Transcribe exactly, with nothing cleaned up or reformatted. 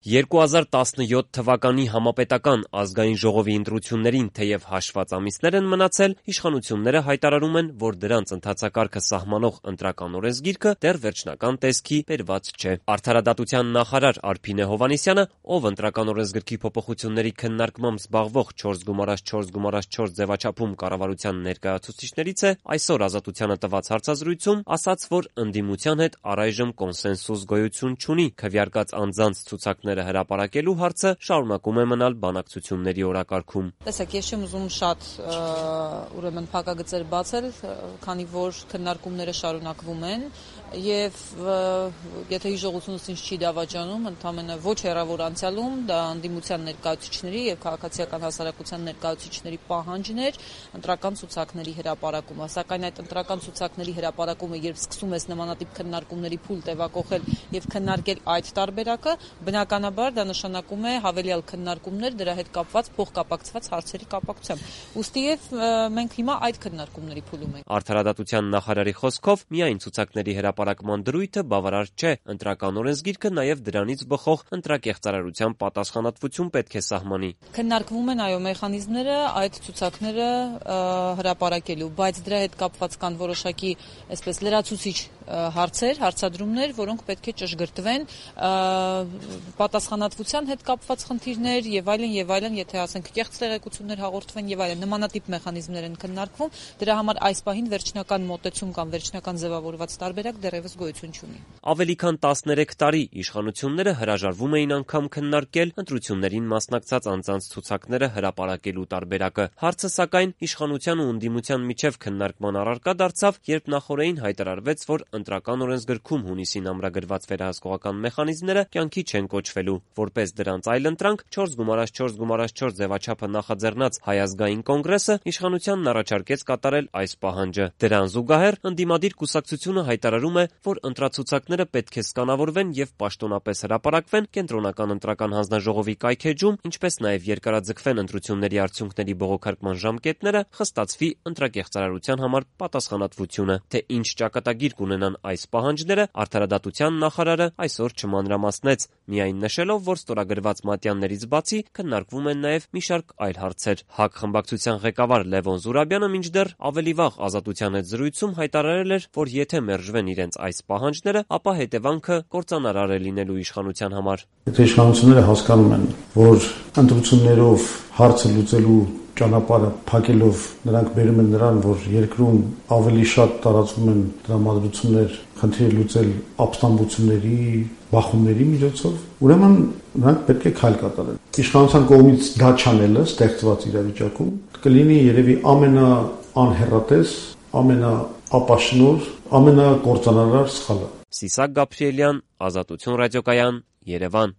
երկու հազար տասնյոթ թվականի համապետական ազգային ժողովի ընտրություններին թեև հաշված ամիսներ են մնացել, իշխանությունները հայտարարում են, որ դրանց ընթացակարգը սահմանող ընտրական օրենսգիրքը դեռ վերջնական տեսքի բերված չէ։ Արդարադատության նախարար Արփինե Հովհաննիսյանը, ով ընտրական օրենսգրքի փոփոխությունների քննարկմամբ զբաղվող չորս գումարած չորս գումարած չորս ձևաչափում կառավարության ներկայացուցիչներից է, այսօր Ազատությանը տված հարցազրույցում ասաց, որ ընդդիմության հետ առայժմ կոնսենսուս գոյություն չունի, քվեարկած անձանց ցուցակները հրապարակելու հարցը շարունակում է մնալ բանակցությունների օրակարգում։ Տեսեք, ես չեմ ուզում շատ ուրեմն փակագծեր բացել, քանի որ քննարկումները շարունակվում են եւ եթե հիշողությունս ինձ չի դավաճանում, ընդամենը ոչ հեռավոր անցյալում դա ընդդիմության ներկայացուցիչների եւ քաղաքացիական հասարակության ներկայացուցիչների պահանջն էր ընտրական ցուցակների հրապարակումը, սակայն այդ ընտրական ցուցակների հրապարակումը երբ սկսում ես նմանատիպ քննարկումների փուլ տևակոխել եւ քննարկել այդ տարբերակը, բնականաբար դա նշանակում է հավելյալ քննարկումներ դրա հետ կապված փոխկապակցված հարցերի կապակցությամբ։ Ուստի եւ մենք հիմա այդ քննարկումների փուլում ենք։ Արդարադատության նախարարի խոսքով միայն ցուցակների հրապարակման դրույթը բավարար չէ, ընտրական օրենսգիրքը նաեւ դրանից բխող ընտրակեղծարարության պատասխանատվություն պետք է սահմանի։ Քննարկվում են այո մեխանիզմները այդ ցուցակները հրապարակելու, բայց դրա հետ կապված կան որոշակի այսպես լրացուցիչ հարցեր, հարցադրումներ, որոնք պետք է ճշգրտվեն, պատասխանատվության հետ կապված խնդիրներ եւ այլն եւ այլն, եթե ասենք կեղծ տեղեկություններ հաղորդվեն եւ այլն, նմանատիպ մեխանիզմներ են քննարկվում, դրա համար այս պահին վերջնական մոտեցում կամ վերջնական ձևավորված տարբերակ դեռևս գոյություն չունի։ Ավելի քան տասներեք տարի իշխանությունները հրաժարվում էին անգամ քննարկել ընտրություններին մասնակցած անձանց ցուցակները հրապարակելու տարբերակը։ Հարցը սակայն իշխանության ու ընդդիմության միջև քննարկման առարկա դարձավ, երբ նախօրեին հայտարարվեց, որ ընտրական օրենսգրքում հունիսին ամրագրված վերահսկողական մեխանիզմները կյանքի չեն կոչվելու։ Որպես դրանց այլընտրանք չորս գումարած չորս գումարած չորս ձևաչափը նախաձեռնած Հայ ազգային կոնգրեսը իշխանությանն առաջարկեց կատարել այս պահանջը։ Դրան զուգահեռ ընդդիմադիր կուսակցությունը հայտարարում է, որ ընտրացուցակները պետք է սկանավորվեն եւ պաշտոնապես հրապարակվեն կենտրոնական ընտրական հանձնաժողովի կայքէջում, ինչպես նաեւ երկարաձգվեն ընտրությունների արդյունքների բողոքարկման ժամկետները, խստացվի ընտրակեղծարարության համար պատասխանատվությունը։ Թե ինչ ճակատագիր կունենան այս պահանջները, արդարադատության նախարարը այսօր չմանրամասնեց, միայն նշելով, որ ստորագրված մատյաններից բացի քննարկվում են նաեւ մի շարք այլ հարցեր։ ՀԱԿ խմբակցության ղեկավար Լևոն Զուրաբյանը մինչդեռ ավելի վաղ Ազատության հետ զրույցում հայտարարել էր, որ եթե մերժվեն իրենց այս պահանջները, ապա հետևանքը կործանարար է լինելու իշխանության համար։ Եթե իշխանությունները հասկանում են, որ ընտրություններով հարցը լուծելու ճանապարհը փակելով նրանք բերում են նրան, որ երկրում ավելի շատ տարածվում են դրամատրություններ, խնդիրը լուծել ապստամբությունների, բախումների միջոցով, ուրեմն նրանք պետք է քայլ կատարեն։ Իշխանության կողմից դա չանելը ստեղծված իրավիճակում կլինի երևի ամենաանհեռատես, ամենաապաշնոր, ամենակործանարար սխալը։ Սիսակ Գաբրիելյան, Ազատություն ռադիոկայան, Երևան։